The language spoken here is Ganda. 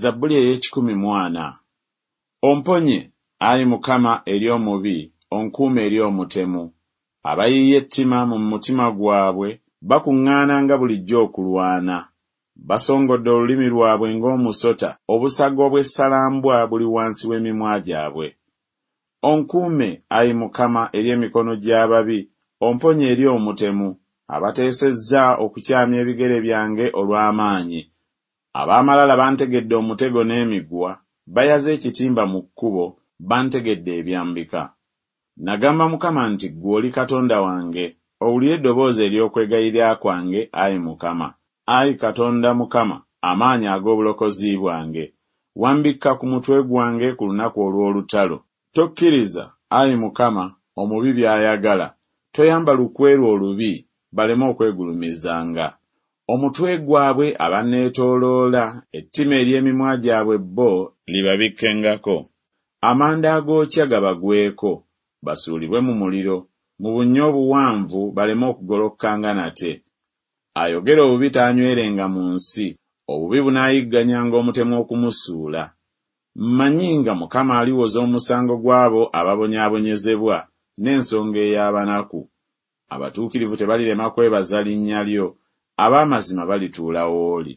Zabbuli ey'ekikumi mu ana. Omponye, ayi Mukama, eri omubi, onkuume eri omutemu. Abayiiya ettima mu mutima gwabwe bakuŋŋaananga bulijjo okulwana. Basongodde olulimi lwabwe ng'omusota, obusaga obw'essalambwa buli wansi w'emimwa gyabwe. Onkuume, ayi Mukama, eri emikono gy'ababi, omponye eri omutemu, abateesezza okukyamya ebigere byange olw'amaanyi. Ab'amalala bantegedde omutego n'emiguwa, bayaze ekitimba mu kkubo, bantegedde ebyambika. Nagamba Mukama nti Ggwe oli Katonda wange. Owulire eddoboozi ery'okwegayirira kwange, ayi Mukama. Ayi Katonda Mukama, amaanyi ag'obulokozi bwange, wambikka ku mutwe gwange ku lunaku olw'olutalo. Tokkiriza, ayi Mukama, omubi by'ayagala, toyamba lukwe lwe olubi, baleme okwegulumizanga. Omutwe gwabwe abanneetooloola, ettima ery'emimwa gyabwe bo libabikkengako. Amanda agookya gabagweko, basuulibwe mu muliro, mu bunnya obuwanvu baleme okugolokokanga nate. Ayogera obubi taanywerenga mu nsi, obubi bunaayigganyanga omutemu okumusuula. Mmanyi nga Mukama aliwoza omusango gw'abo ababonyaabonyezebwa, n'ensonga ey'abanaku. Abatuukirivu tebalirema kwebaza linnya lyo, ab'amazima balituula w'oli.